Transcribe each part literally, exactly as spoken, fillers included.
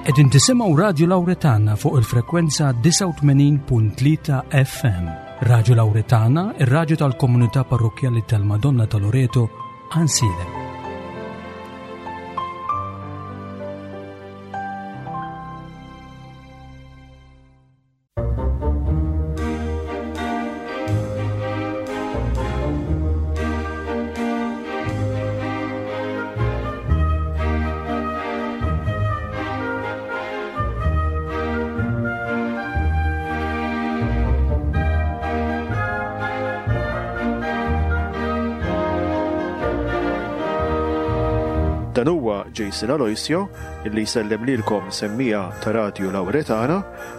Qegħdin tisimgħu Radio Lauretana fuq il-frekwenza disgħa u tmenin punt tlieta F M. Radio Lauretana, ir-radju tal-komunità parrokkjali tal-Madonna ta' Loreto, Għajnsielem. Dan huwa Jason Aloisio illi jsellem lilkom semmija ta' Radio Lauretana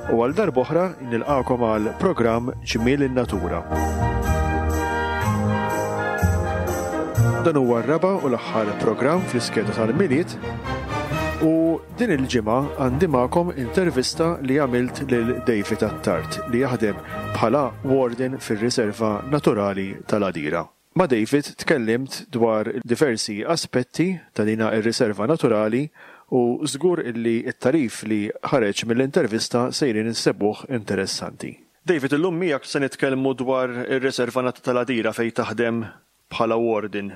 u għal darb'oħra nilqakom għal programm Ġmiel in-Natura. Dan huwa r-raba' u l-aħħar programm fl-iskeda tal-Milied u din il-ġimgħa għandi magħkom intervista li għamilt lil David Attard li jaħdem bħala warden fir-Riserva Naturali tal-Għadira. Ma' David tkellimt dwar diversi aspetti ta' dina ir-riserva naturali u żgur illi t-tarif li ħareġ mill-intervista sejrin insebuh interessanti. David, illum miegħek se nitkellmu dwar ir-riserva nat-, tal-Għadira fejn taħdem bħala warden.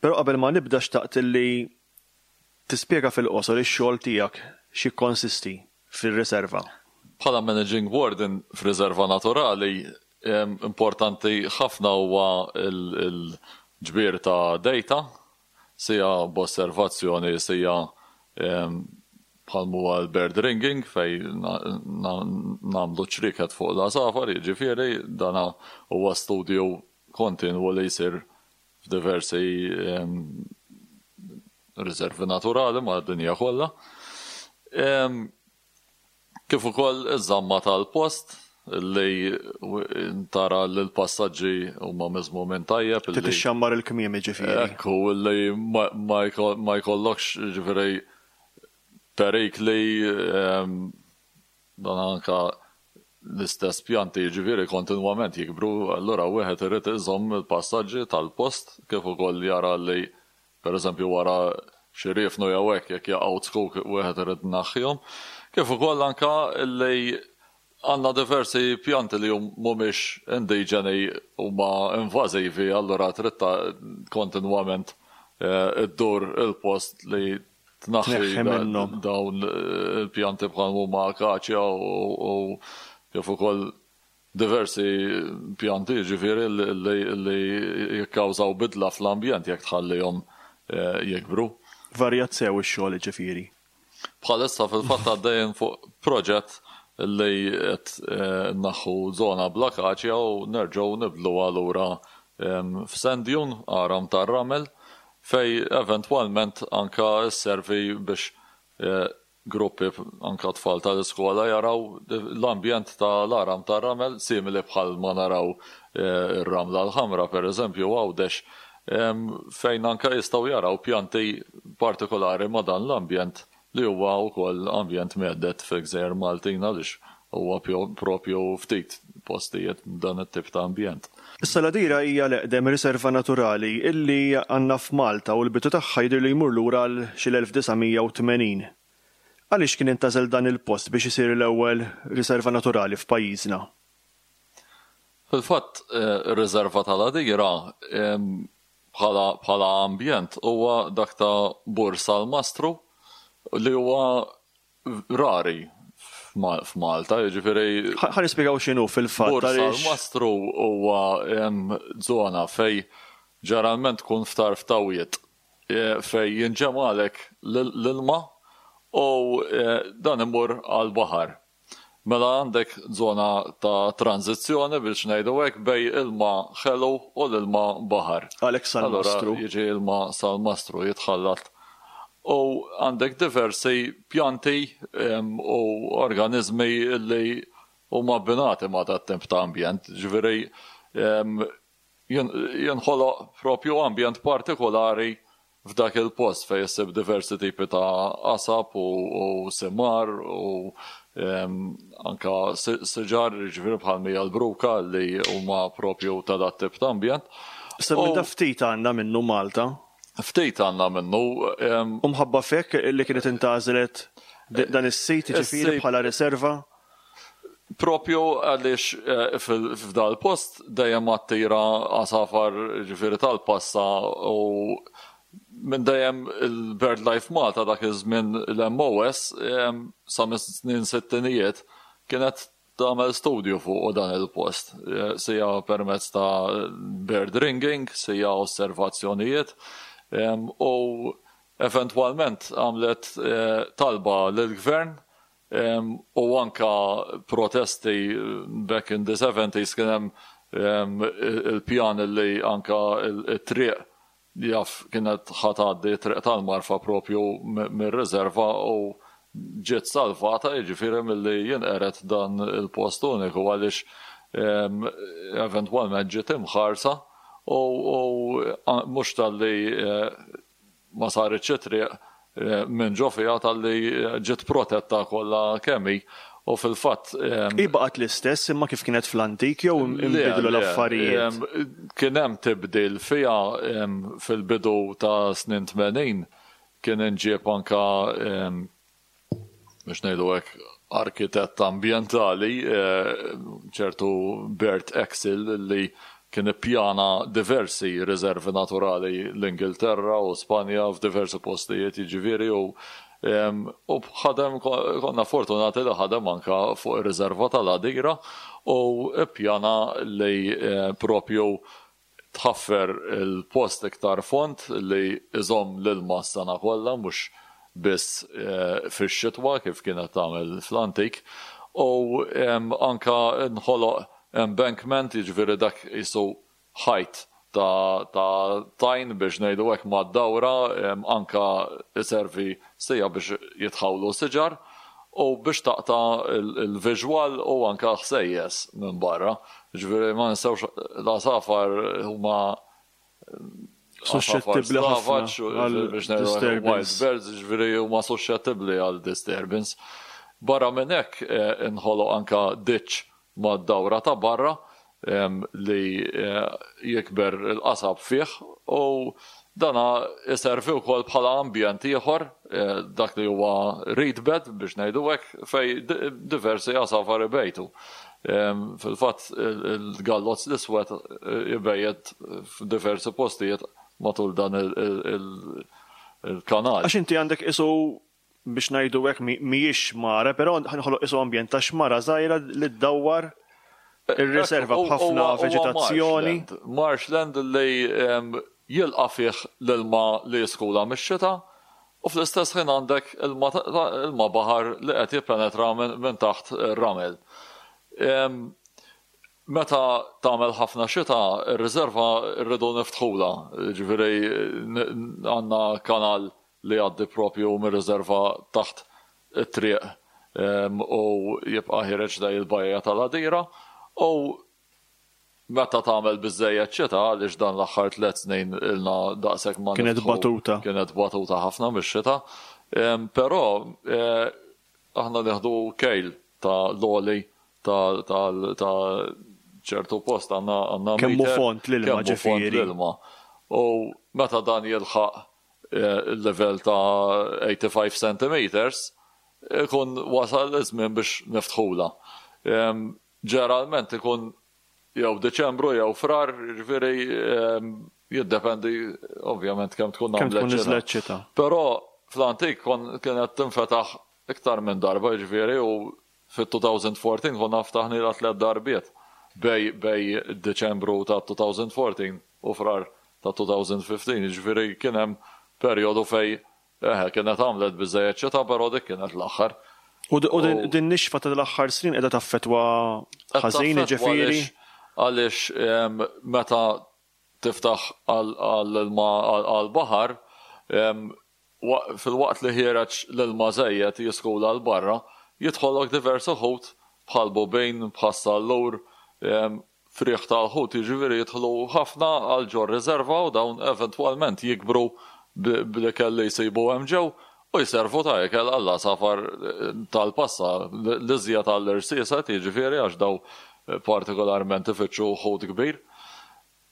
Però qabel ma nibda xtaqt illi tispjega fil-qosor ix-xogħol tiegħek x'jikkonsisti fir-riserva. Bħala managing warden f'riserva naturali, em, importanti ħafna huwa il-, il-ġbir ta' data, sija b'osservazzjoni, sija, em, bħal huwa l-bird ringing fej na-, na-, nagħmlu ċriket fuq l-għasafar, jiġifieri dana huwa studju kontinwu li jsir f'diversi, em, riservi naturali mad-dinja kollha. Em, kif ukoll iż-żamma tal-post li tara li l-passaġġi huma miżmumin tajjeb, Trid li ixxammar il-kmiem jiġifieri. Ekku, li ma, ma jko-, ma jkollokx jiġifieri perikli, em, dan anka l-istess pjanti jiġifieri kontinwament jikbru, allura wieħed irid iżomm il-passaġġi tal-post kif ukoll jara li pereżempju wara xi riefnu jew hekk jekk jaqgħu zkuk wieħed irid naħħihom. Kif ukoll anka li għandna diversi pjanti li hum-, mhumiex indiġeni huma invażivi, allura trid ta-, kontinwament, eh, iddur il-post li tnaħħi Tneħħi da-, minnhom. dawn il-pjanti bħal huma akaċja u, u kif ukoll diversi pjanti jiġifieri li, li, li jikkawżaw bidla fl-ambjent jekk tħallihom, eh, jikbru. Varjat sew ix-xogħol jiġifieri. Bħalissa fil-fatt għaddejjin fuq proġett li qed, eh, naħħu żona bl-akaċja u nerġgħu nibdluha lura, em, f'sand dune, għaram tar-ramel, fej eventwalment anka sservi biex, eh, gruppi anka tfal tal-iskola jaraw l-ambjent tal-għaram tar-ramel simili bħal ma naraw, eh, ir-ramla l-ħamra pereżempju Għawdex, em, fejn anka jistgħu jaraw pjanti partikolari ma' dan l-ambjent li huwa wkoll ambjent mehdet fi Gżejjer Maltin għaliex huwa pjo-, propju ftit postijiet dan it-tip ta' ambjent. Issa l-Għadira hija l-eqdem riserva naturali illi għandna f'Malta u l-bidu tagħha jidher li jmur lura għal xi l-elf disa' mija u tmenin. Għaliex kien intażel dan il-post biex isir l-ewwel riserva naturali f'pajjiżna? Fil-fatt, eh, ir-riserva tal-Għadira, em, bħala, bħala ambjent huwa dak ta' Bur Salmastru li huwa rari f'Ma-, f'Malta, jiġifieri Ħa-, ħa nispjegaw x'inhu fil-fatt, Bur għaliex Salmastru huwa, em, żona fej ġeneralment tkun f'tarf tawiet, e, fej jinġemalek l-, l-ilma u, e, dan imur għall-baħar. Mela għandek żona ta' tranzizzjoni biex ngħidu hekk bej ilma ħelu u l-ilma baħar. Għalhekk Salmastru. Allura jiġi ilma Salmastru jitħallat. U għandek diversi pjanti, em, u organizmi li huma abbinati ma' dat temp ta' ambjent. Ġifieri, em, jen-, jinħoloq propju ambjent partikolari f'dak il-post fejn issib diversi tipi ta' qasab u, u simar u, em, anka si-, siġar, ġifieri bħal mija l-bruka li huma propju ta' dat tip ta' ambjent. Issa minn U da ftit għandna minnu Malta. Ftit għandna minnu, em, U mħabba fek li kienet intgħażlet Dan is-sit ġifieri bħala riserva? Propju għaliex eh, f'dal post dejjem attira għasafar ġifieri tal-passa u minn dejjem il-BirdLife Malta dak iż-żmien l-M O S sa mis-snin sittinijiet kienet tagħmel studju fuq dan il-post. Eh, sija permezz ta' bird ringing, sija osservazzjonijiet u eventwalment għamlet eh, talba lill-gvern u anka protesti back in the seventies. Kien hemm il-pjan li anka il-triq jaf kienet ħa tgħaddi, triq tal-Marfa, propju mir-riserva u ġiet salvata jiġifieri milli jinqered dan il-post uniku, għaliex eventwalment ġiet imħarsa u mhux talli eh, ma saritx triq eh, minn ġo fiha, talli ġiet protetta kollha kemm hi u fil-fatt. Hi baqgħet l-istess imma kif kienet fl-antik jew inbidlu l-affarijiet? Kien hemm tibdil fiha fil-bidu ta' snin tmenin. Kien inġieb anka, biex ngħidu hekk, arkitett ambjentali, eh, ċertu Bert Axel, li kien ippjana diversi riservi naturali l-Ingilterra u Spanja f'diversi postijiet, jiġifieri u u ħadem, konna fortunati li ħadem anka fuq ir-riserva tal-Għadira u ippjana li eh, propju tħaffer il-post iktar fond li iżomm l-ilma s-sena kollha, mhux biss eh, fix-xitwa kif kienet tagħmel fl-antik, u anka nħoloq embankment, jiġifieri dak qisu ħajt ta', ta tajn, biex ngħidu hekk, mad-dawra, anka iservi sija biex jitħawlu siġar u biex taqta il-visual u anka ħsejjes minn barra. Ġifieri ma ninsewx l-għasafar huma suscettibbli ħafna għal disturbance. Wild birds, ġifieri huma suscettibbli għal disturbance. Barra minn hekk eh, inħoloq anka ditch mad-dawra ta' barra em, li eh, jikber il-qasab fih u dana iservi wkoll bħala ambjent ieħor, eh, dak li huwa reed bed, biex ngħidu hekk, fej di- diversi għasafar ibejtu. Em, Fil-fatt il-gallozz l-iswed eh, jibejjet f'diversi postijiet matul dan il- il- il- il-kanal. Għax inti għandek qisu, biex ngħidu hekk, mi- mhijiex xmara, però ħanħoloq qisu ambjent ta' xmara żgħira li ddawwar ir-riserva U- b'ħafna huwa- huwa veġetazzjoni. Marshland. Marshland li em, jilqa' fih l-ilma li jiskula mix-xita u fl-istess ħin għandek ilma ta- ilma baħar li qed jippenetra minn min taħt ir-ramel. Em, Meta tagħmel ħafna xita, ir-riserva rridu niftħula. Ġifieri n- għandna kanal li għaddi propju mir-riserva taħt it-triq em, u jibqa' ħiereġ lejn il-bajja tal-Għadira u meta tagħmel biżejjed xita, għaliex dan l-aħħar tliet snin ilna daqshekk ma Kienet niftħu. batuta. Kienet batuta ħafna mix-xita. Em, Però eh, aħna nieħdu kejl ta' l-għoli ta' ta' ta' ċertu post, għandna għandna Kemm hu meter, fond l-ilma, kemm hu fond ġifieri. l-ilma. U meta dan jilħaq eh, il-level ta' eighty-five centimeters, ikun wasal iż-żmien biex niftħula. Em, Ġeneralment ikun jew Deċembru jew Frar, ġifieri em, jiddependi ovvjament kemm tkun Kemm tkun għamlet xita. niżlet xita. Però fl-antik kon kienet tinfetaħ iktar minn darba, ġifieri, u fit-elfejn u erbatax konna ftaħni tliet darbiet bejn bejn Deċembru ta' elfejn u erbatax u Frar ta' elfejn u ħmistax, ġifieri kien hemm perjodu fej eħe kienet għamlet biżejjed xita, però dik kienet l-aħħar. U d- u din U- din nixfa ta' l-aħħar snin qiegħda taffetwa ħażin, Taffettwa. ġifieri. Għaliex għaliex em, meta tiftaħ għal-baħar, fil-waqt li ħiereġ l-ilma żejjed jiskula 'l barra, jidħollok diversi ħut bħal bubin, bħal sallur, em, friħ tal-ħut, jiġifieri jidħlu ħafna għal ġo riserva u dawn eventwalment jikbru b- bl-ikel li jsibu hemm ġew u jservu ta' ikel għall-għasafar eh, tal-passa, l-iżjed għall-irsiset, jiġifieri, għax daw eh, partikolarment ifittxu ħut kbir.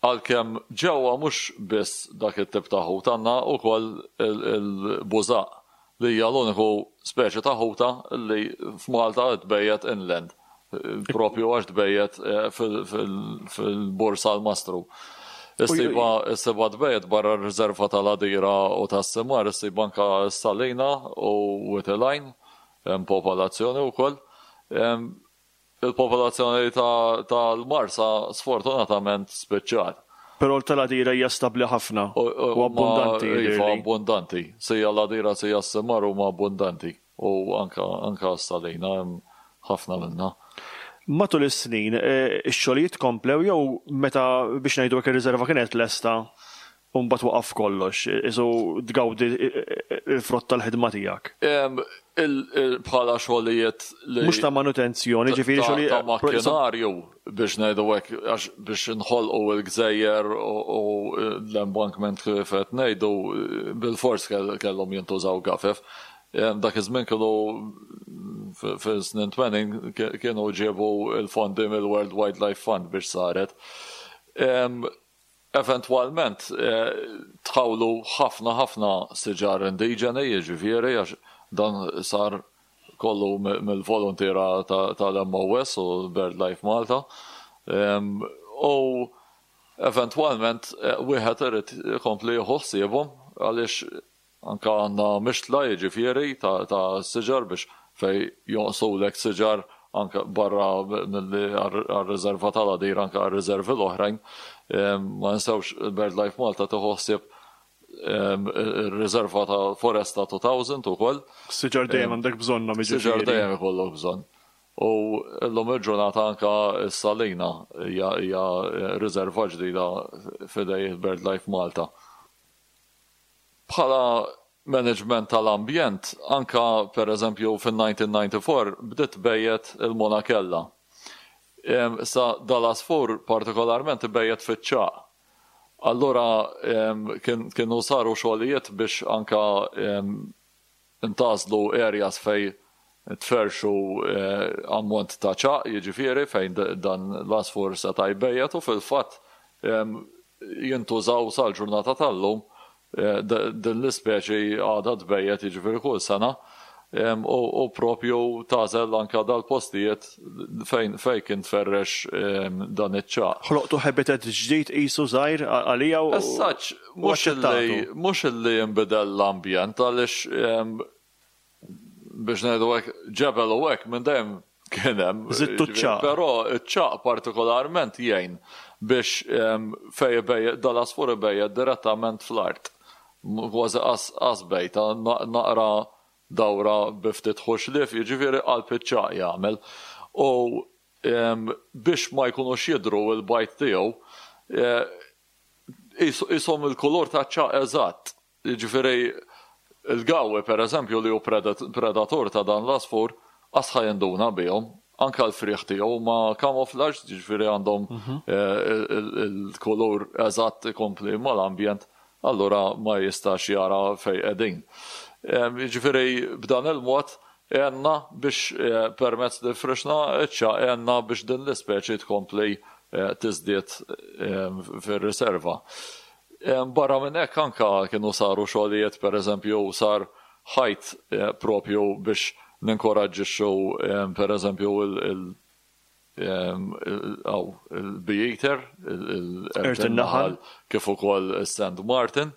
Għalkemm ġewwa mhux biss dak it-tip ta' ħut, għandna wkoll il-bużaq. li hija l-uniku speċi ta' ħuta li f'Malta tbejjet inland, propju għax tbejjet fil-Bur Salmastru. Issibha tbejjet barra r-riserva tal-Għadira u tas-Simar, issib anka s-Salina u Wied il-Għajn, hemm popolazzjoni wkoll. Il-popolazzjoni tal-Marsa sfortunatament spiċċat. Però tal-Għadira hija stabbli ħafna u abbundanti. Iva, abbundanti. Sija l-Għadira, sija s-Simar huma abbundanti. U anka s-Salina hemm ħafna minnha. Matul is-snin, ix-xogħlijiet komplew jew meta biex ngħidu hekk ir-riserva kienet lesta u mbagħad waqaf kollox, isu tgawdi il-frott tal-ħidma tiegħek? Bħala xogħlijiet li. Mhux ta' manutenzjoni, ġifieri xogħlijiet. Ta' makkinarju biex ngħidu hekk, għax biex nħolqu l-gżejjer u l-embankment kif qed ngħidu, bilfors kellhom jintużaw gafef. Dak iż-żmien kienu fis-snin tmenin kienu ġiebu l-fondi mill-World Wildlife Fund biex saret. Eventwalment tħawlu ħafna ħafna siġar indiġeni, jiġifieri għax dan sar kollu mill-volontiera tal-M O S u BirdLife Malta. U eventwalment wieħed irid ikompli jieħu ħsiebhom għaliex anka għandna mixtla, jiġifieri ta' siġar, biex fej jonqsulek siġar anka barra milli għar-riserva tal-Għadira, anka għar-riservi l-oħrajn. Ma ninsewx, BirdLife Malta tieħu ħsieb ir-riserva ta' Foresta elfejn ukoll. Siġar dejjem għandek bżonnhom. Siġar dejjem ikollok bżonn. U llum il-ġurnata anka s-Salina hija riserva ġdida f'idej BirdLife Malta. Bħala management tal-ambjent, anka per eżempju fil-elf disa' mija u disgħa u disgħin bdiet tbejjet il-monakella. Sa dal-għasfur partikolarment bejjet fiċ-ċagħaq. Allura kienu saru xogħlijiet biex anka intgħażlu areas fej tferxu eh, ammont ta' ċagħaq, jiġifieri fejn dan l-għasfur seta' jbejjet, u fil-fatt jintużaw sal-ġurnata tal-lum, eh, din l-ispeċi għadha tbejjet, jiġifieri kull sena, u propju tagħżel anka dal-postijiet fejn fejn kien tferrex dan iċ-ċagħaq. Ħloqtu habitat ġdid qisu żgħir għalija u. As mhux mhux li jinbidel l-ambjent, għaliex biex ngħidu hekk, ġebel u hekk minn dejjem kien hemm. Żidtu ċagħaq. Però ċ-ċagħaq partikolarment jgħin biex fej dal-għasfur ibejjet direttament fl-art. Kważi qas bejta, naqra dawra bi ftit ħuxlif, jiġifieri qalb iċ-ċagħaq jagħmel. U biex ma jkunux jidru il-bajd tiegħu, qishom il-kulur ta' ċagħaq eżatt. Jiġifieri il-gawwi, per eżempju, li hu predatur ta' dan l-għasfur, qas ħa jinduna bihom, anka l-friħ tiegħu ma camouflage, ġifieri għandhom mhm. eh, il-kulur eżatt ikompli mal-ambjent, allura ma jistax jara fej qegħdin. Ġifieri b'dan il-mod għenna biex eh, permezz li frixna ċ-ċagħaq għenna biex din l-ispeċi tkompli eh, tiżdied fir-riserva. Barra minn hekk anka kienu saru xogħlijiet, per eżempju sar ħajt eh, propju biex ninkoraġġixxu, per eżempju, il-bee-eater, il-naħal, kif ukoll il-Sand Martin,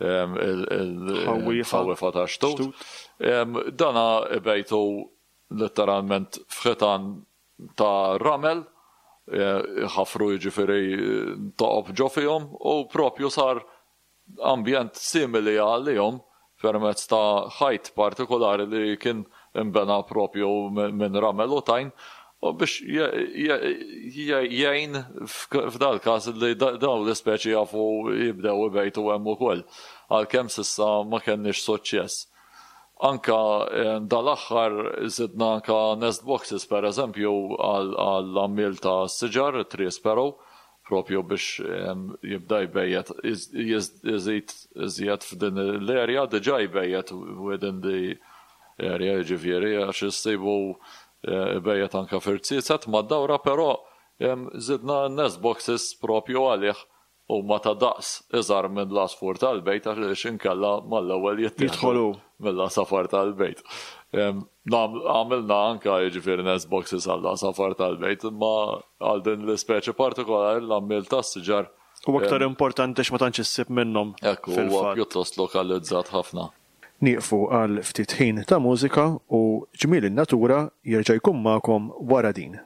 il-ħawifa ta' xtut. Dana ibejtu letteralment f'ħitan ta' ramel, ħafru jiġifieri toqob ġo fihom u propju sar ambjent simili għalihom permezz ta' ħajt partikolari li kien imbena propju minn ramel u tajn u biex jgħin f'dal każ li dawn l-ispeċi jafu jibdew ibejtu hemm ukoll, għalkemm s'issa ma kenniex suċċess. Anka eh, dal-aħħar zidna anka nest boxes, per eżempju, għall-għammiel ta' siġar, tree sparrow, propju biex jibda jbejjet jizid iżjed f'din l-area, diġà jbejjet within the area, ġifieri għax jissibu eh, jbejjet anka f'irziezet mad-dawra, però zidna nest boxes propju għalih u ma ta' daqs iżgħar minn l-għasfur tal-bejt, għax inkella mal-ewwel jittieħdu. mill-għasafar tal-bejt. Għamilna anka jiġifieri nest boxes għall-għasafar tal-bejt, imma għal din l-ispeċi partikolari l-għammiel tas-siġar. U aktar importanti x'ma tantx issib minnhom. Ekku, huwa pjuttost lokalizzat ħafna. Nieqfu għal ftit ħin ta' mużika u Ġmiel in-Natura jerġa' jkun magħkom wara din.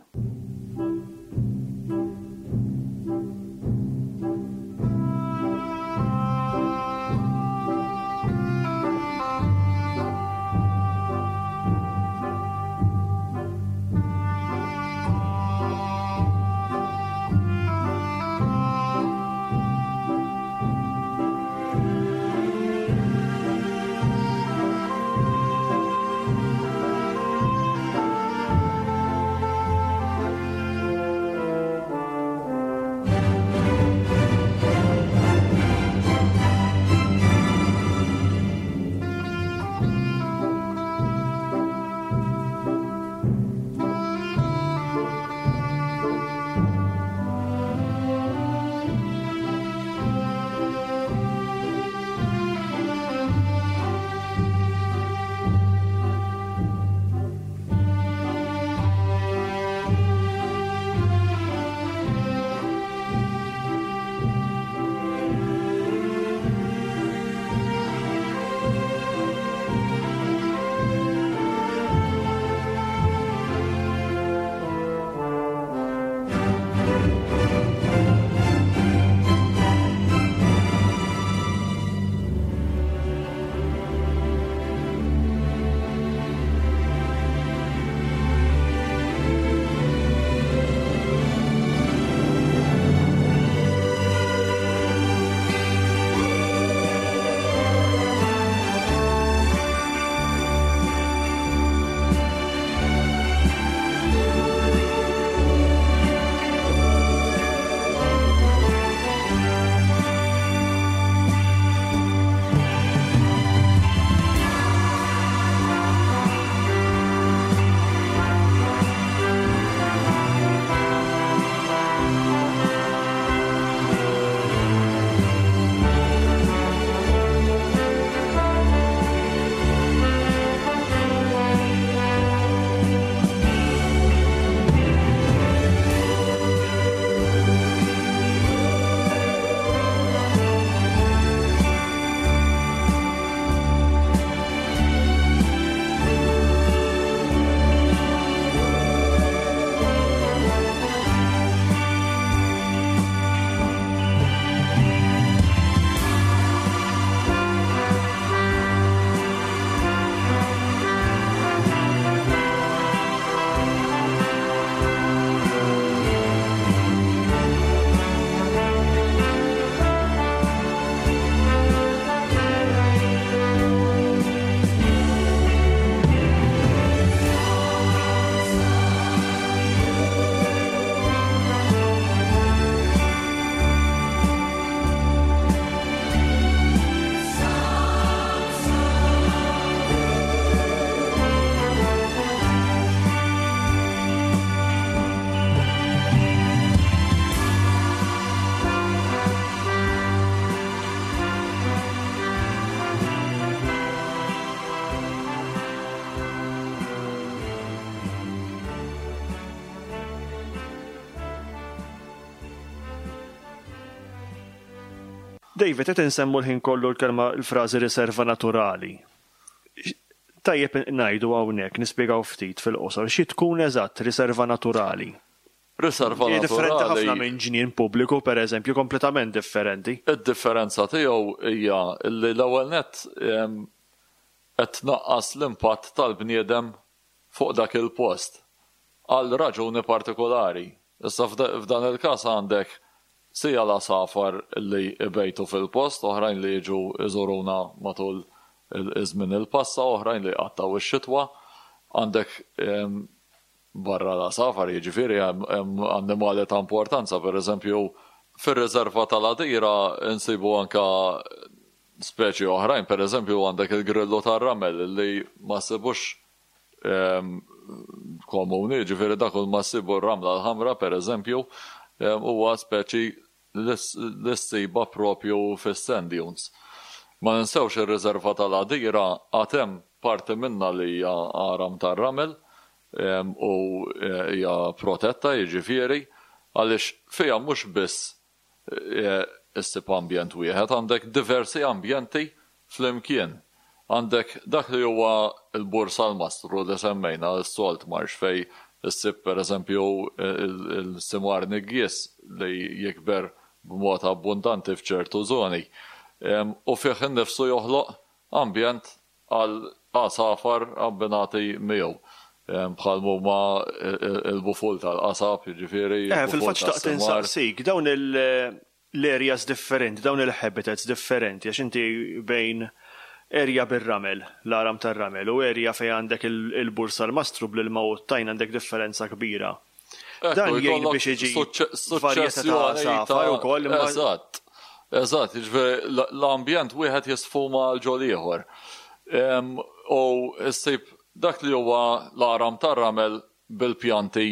David, qed insemmu l-ħin kollu l-kelma l-frażi riserva naturali. Tajjeb ngħidu hawnhekk nispjegaw ftit fil-qosor xi tkun eżatt riserva naturali. Riserva naturali. Differenti ħafna minn ġnien pubbliku, pereżempju, kompletament differenti. Id-differenza tiegħu hija li l-ewwel nett qed tnaqqas l-impatt tal-bniedem fuq dak il-post għal raġuni partikolari. Issa f'dan il-każ għandek sija l-għasafar li ibejtu fil-post, oħrajn li jiġu iżuruna matul iż-żmien il-passa, oħrajn li jqattgħu ix-xitwa. Għandek barra l-għasafar, jiġifieri hemm annimali ta' importanza, pereżempju fir-riserva tal-Għadira insibu anka speċi oħrajn, pereżempju għandek il-grillu tar-ramel li ma ssibux komuni, jiġifieri dak ma ssibu r-ramla l-ħamra pereżempju, huwa speċi li ssiba propju fis-sand dunes. Ma ninsewx ir-riserva tal-Għadira għad hemm parti minnha li hija għaram tar-ramel u hija protetta, jiġifieri, għaliex fiha mhux biss issib ambjent wieħed, għandek diversi ambjenti flimkien. Għandek dak li huwa l-Bur Salmastru li semmejna, is-salt marsh, fejn issib pereżempju il-simar niggies li jikber b'mod abbundanti f'ċertu żoni. U fih innifsu joħloq ambjent għal għasafar abbinati miegħu. Bħal huma il-buful tal-qasab, jiġifieri. Eh, fil-fatt xtaqt insaqsik, dawn l-areas differenti, dawn il-habitats differenti, għax inti bejn area bir-ramel, l-għaram tar-ramel, u area fejn għandek il-Bur Salmastru bl-ilma u t-tajn għandek differenza kbira. Dan jgħin biex iġi varjetà ta' għasafar ukoll. Eżatt, eżatt, jiġifieri l-ambjent wieħed jisfuma għal ġol ieħor. U ssib dak li huwa l-għaram tar-ramel bil-pjanti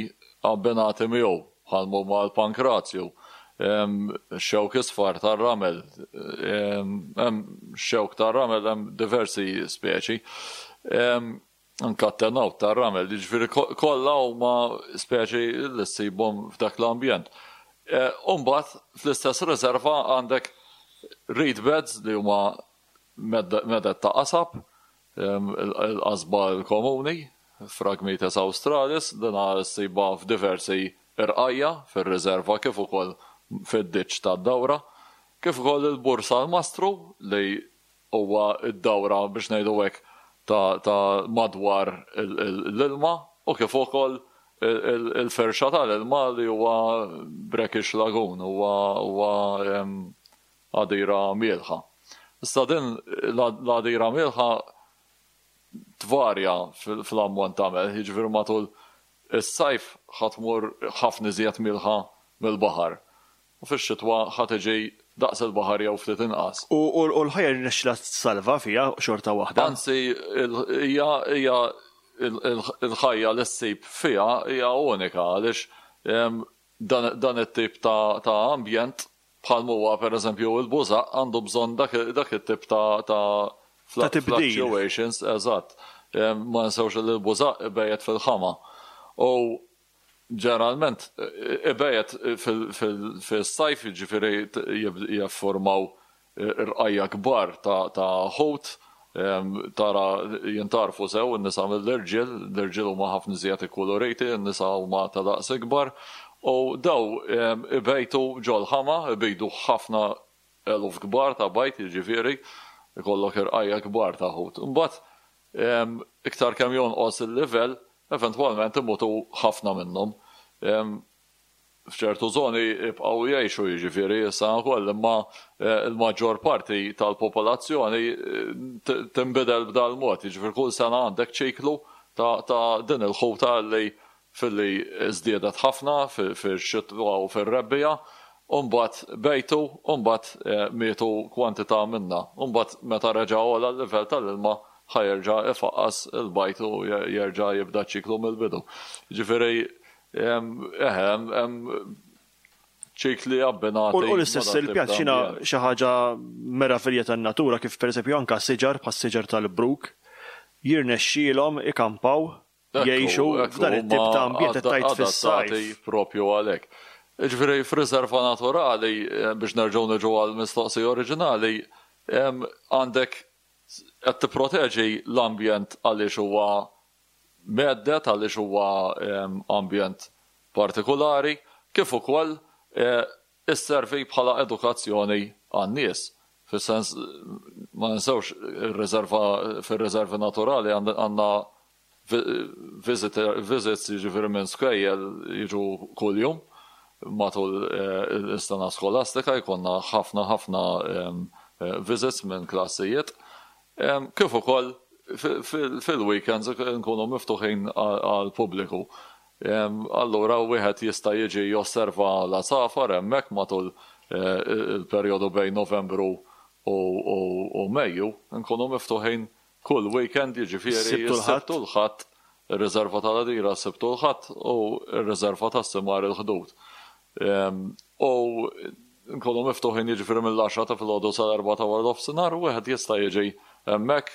abbinati miegħu, bħal huma l-pankrazju, xewk isfar tar-ramel, hemm xewk tar-ramel, hemm diversi speċi. Anka t-tenawt tar-ramel, jiġifieri kollha huma speċi li ssibhom f'dak l-ambjent. U mbagħad fl-istess riserva għandek reed beds li huma meded ta' qasab, il-qasba l-komuni, Phragmites australis, dina ssibha f'diversi irqajja fir-riserva kif ukoll fid-ditx tad-dawra, kif ukoll il-Bur Salmastru li huwa d-dawra biex ngħidu hekk ta' madwar l-ilma, u kif ukoll il-firxa tal-ilma li huwa brackish lagoon, huwa għadira mielħa. Issa din l-għadira mielħa tvarja fl-ammont ta' melħ, jiġifieri matul is-sajf ħa tmur ħafna iżjed mielħa mill-baħar. U fix-xitwa ħa tiġi daqs il-baħar jew ftit inqas. U l-ħajja rnexxilha tsalva fiha xorta waħda? Anzi, hija il-ħajja li ssib fiha hija unika għaliex dan it-tip ta' ambjent bħal huwa pereżempju il-bużaq għandu bżonn dak it-tip ta' fluctuations, eżatt. Ma ninsewx li l-bużaq ibejjet fil-ħama. U ġeneralment ibejjet fis-sajf, jiġifieri jiffurmaw irqajja kbar ta' ħut, tara jintarfu sew in-nisa mill-irġiel, l-irġiel huma ħafna iżjed ikkuluriti, in-nisa huma ta' daqs ikbar, u daw ibejtu ġol-ħama, ibejdu ħafna eluf kbar ta' bajt, jiġifieri ikollok irqajja kbar ta' ħut. Imbagħad iktar kemm jonqos il-livell, eventwalment imutu ħafna minnhom. F'ċertu żoni jibqgħu jgħixu, jiġifieri issa wkoll, imma l-maġġor parti tal-popolazzjoni tinbidel b'dal mod, jiġifieri kull sena għandek ċiklu ta' din il-ħuta li filli żdiedet ħafna fix-xitwa u fir-rebbiegħa, u mbagħad bejtu, u mbagħad mietu kwantità minnha. U mbagħad meta reġa' għola l-livell tal-ilma ħa jerġa' ifaqqas il-bajt u jerġa' jibda ċiklu mill-bidu. Ġifieri eħe hemm ċikli abbinati. U l-istess il-pjat xina xi ħaġa meravilja tan-natura kif pereżempju anke siġar bħas-siġar tal-bruk jirnexxielhom ikampaw jgħixu f'dan it-tip ta' ambjent qed tgħid fis-sajf. Propju għalhekk. Ġifieri f'riserva naturali, biex nerġgħu niġu għall-mistoqsija oriġinali, għandek qed tipproteġi l-ambjent għaliex huwa meddet, għaliex huwa ambjent partikolari, kif ukoll isservi bħala edukazzjoni għan-nies. Fis-sens ma ninsewx ir-riserva fir-riservi naturali għandna visits, jiġifieri minn skejjel jiġu kuljum matul is-sena skolastika, jkollna ħafna ħafna visits minn klassijiet. Kif ukoll fil-weekends nkunu miftuħin għall-pubbliku. Allura wieħed jista' jiġi josserva l-għasafar hemmhekk matul il-perjodu bejn Novembru u Mejju, nkunu miftuħin kull weekend, jiġifieri s-Sibt u l-Ħadd, ir-riserva tal-Għadira s-Sibt u l-Ħadd u r-riserva tas-Simar il-Ħdud. U Nkunu miftuħin, jiġifieri, mill-għaxra ta' filgħodu sal-erbgħa ta' wara nofsinhar, u wieħed jista' jiġi hemmhekk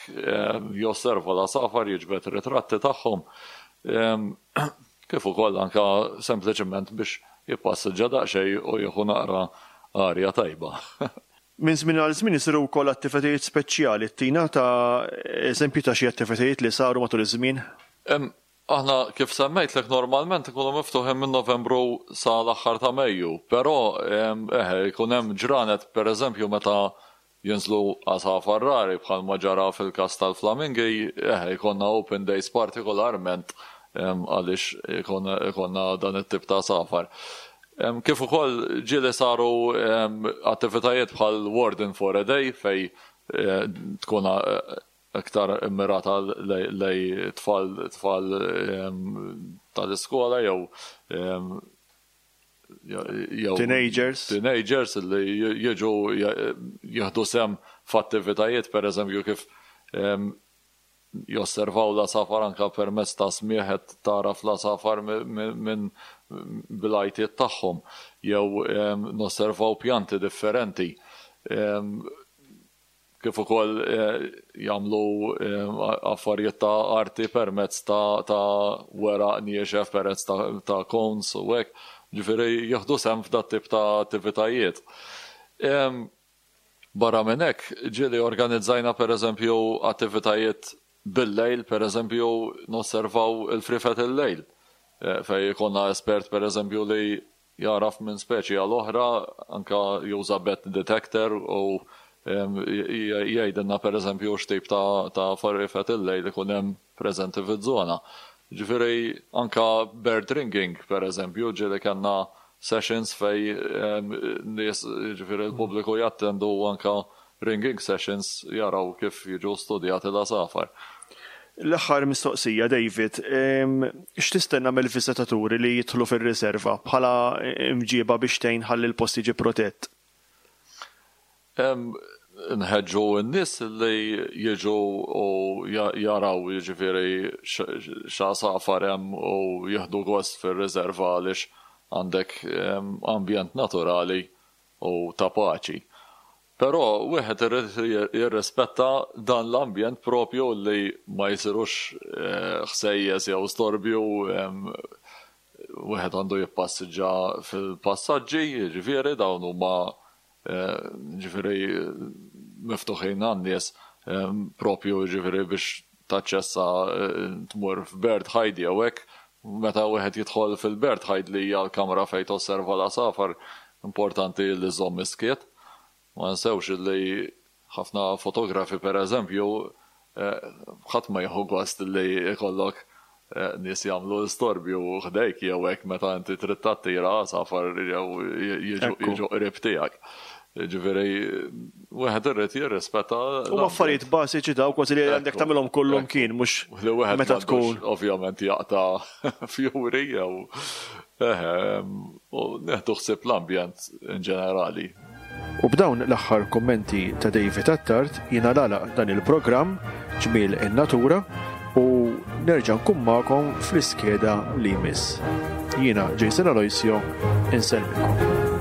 josserva l-għasafar, jiġbed ritratti tagħhom. Kif ukoll anka sempliċement biex jippassiġġa daqsxejn u jieħu naqra arja tajba. Minn żmien għal żmien isiru wkoll attivitajiet speċjali. Tina ta' eżempju ta' xi attivitajiet li saru matul iż-żmien? Aħna, kif semmejtlek, normalment ikunu miftuħin minn Novembru sa l-aħħar ta' Mejju, però eħe, jkun hemm ġranet, pereżempju, meta jinżlu għasafar rari, bħal ma ġara fil-każ tal-flamingi, eħe, jkollna open days partikolarment għaliex ikonna dan it-tip ta' għasafar. Kif ukoll ġieli saru attivitajiet bħal Warden for a Day, fej eh, tkun eh, aktar immirata lej tfal tfal tal-iskola jew jew teenagers. Teenagers li jiġu jieħdu sehem f'attivitajiet, per eżempju, kif josservaw l-għasafar anka permezz ta' smigħ, tara l-għasafar minn bil-għajtiet tagħhom, jew nosservaw pjanti differenti, kif ukoll eh, jagħmlu eh, affarijiet ta' arti permezz ta' ta' weraq niexef, permezz ta', ta' cones u hekk, ġifieri jieħdu sehem f'dat tip ta' attivitajiet. Barra minn hekk, ġieli organizzajna, pereżempju, attivitajiet bil-lejl, pereżempju nosservaw il-frifet il-lejl. Eh, fej jkollna espert, pereżempju, li jaraf minn speċi għal oħra, anka juża bat detector u jgħidilna, per eżempju, x'tip ta' ta' farifet il-lejl ikun hemm preżenti fiż-żona. Ġifieri anka bird ringing, per eżempju, ġieli kellna sessions fej nies, ġifieri l-pubbliku, jattendu anka ringing sessions, jaraw kif jiġu studjati l-għasafar. L-aħħar mistoqsija, David, x'tistenna mill-viżitaturi li jidħlu fir-riserva bħala imġiba biex tgħin ħalli l-post jiġi protett? Nħeġġu n-nies li jiġu u jaraw, jiġifieri, x'għasafar hemm u jieħdu gost fir-riserva, għaliex għandek ambjent naturali u ta' paċi. Però wieħed irid jirrispetta dan l-ambjent propju, li ma jsirux eh, ħsejjes jew storbju, wieħed għandu jippassiġġa fil-passaġġi, jiġifieri dawn huma eh, ġifieri miftuħin għan-nies propju, ġifieri biex taċċessa, eh, tmur f'bird hide jew hekk. Meta wieħed jidħol fil-bird hide, li hija l-kamra fejn tosserva l-għasafar, importanti li żomm skiet. Ma nsewx li ħafna fotografi, per eżempju, eh, ħadd ma jieħu gost li jkollok eh, nies jagħmlu storbju ħdejk jew hekk meta inti trid tattira għasafar jew jiġu qrib tiegħek. Ġifieri, wieħed irid jirrispetta. U affarijiet bażiċi daw kważi li għandek tagħmilhom kollhom kien mhux meta tkun. Ovvjament jaqta' fjuri jew eħe, u nieħdu ħsieb l-ambjent in ġenerali. U b'dawn l-aħħar kommenti ta' David Attard jiena nagħlaq dan il-programm Ġmiel in-Natura u nerġa' nkun magħkom fl-iskeda li jmiss. Jiena Jason Aloisio, insellmilkom.